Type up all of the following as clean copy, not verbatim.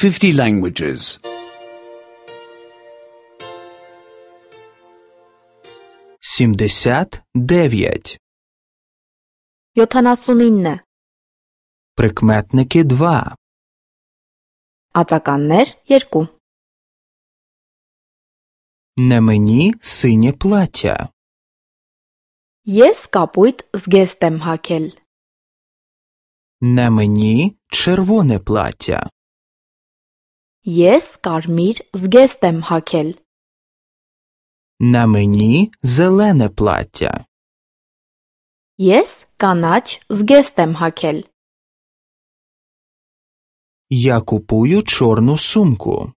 50 languages. 79. 79. Прикметники 2. Ածականներ 2. Не мені синє плаття. Ես կապույտ զգեստ եմ հագել. Не мені червоне плаття. Ես կարմիր զգեստ եմ հագել. Не мені зелене плаття. Ես կանաչ զգեստ եմ հագել. Я купую чорну сумку.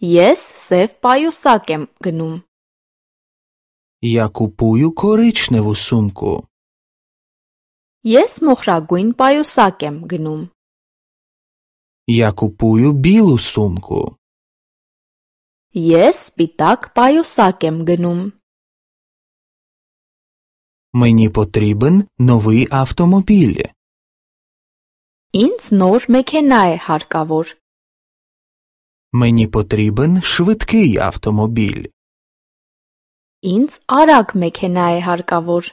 Ես սև պայուսակ եմ գնում. Я купую коричневу сумку. Ես մոխրագույն պայուսակ եմ գնում. Я купую білу сумку. Ես սպիտակ պայուսակ եմ գնում. Мені потрібен новий автомобіль. Ինձ նոր մեքենա է հարկավոր. Мені потрібен швидкий автомобіль. Ինձ արագ մեքենա է հարկավոր.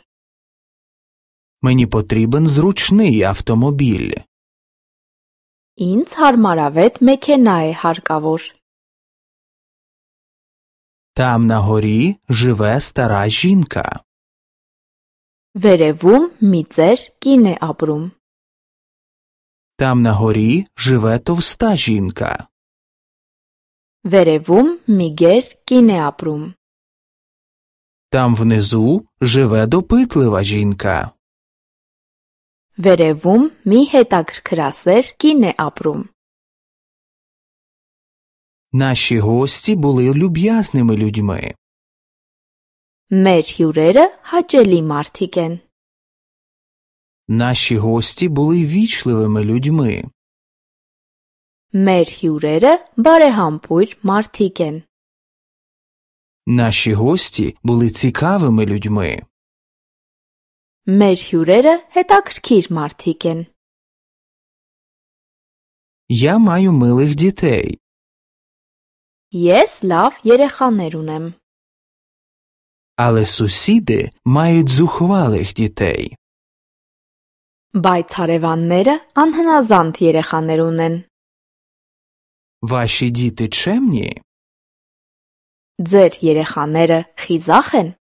Мені потрібен зручний автомобіль. Ինձ հարմարավետ մեքենա է հարկավոր. Там на горі живе стара жінка. Վերևում մի ծեր կին է ապրում. Там на горі живе товста жінка. Վերևում մի գեր կին է ապրում. Там внизу живе допитлива жінка. Վերևում մի հետաքրքրասեր կին է ապրում. Наші гості були люб'язними людьми. Մեր հյուրերը հաճելի մարդիկ են. Наші гості були вічливими людьми. Մեր հյուրերը բարեհամբույր մարդիկ են. Наші гості були цікавими людьми. Մեր հյուրերը հետաքրքիր մարդիկ են. Я маю милих дітей. Ես լավ երեխաներ ունեմ. Але сусіди мають зухвалих дітей. Բայց հարևանները անհնազանդ երեխաներ ունեն. Ваші діти чемні? Ձեր երեխաները խիզախ են.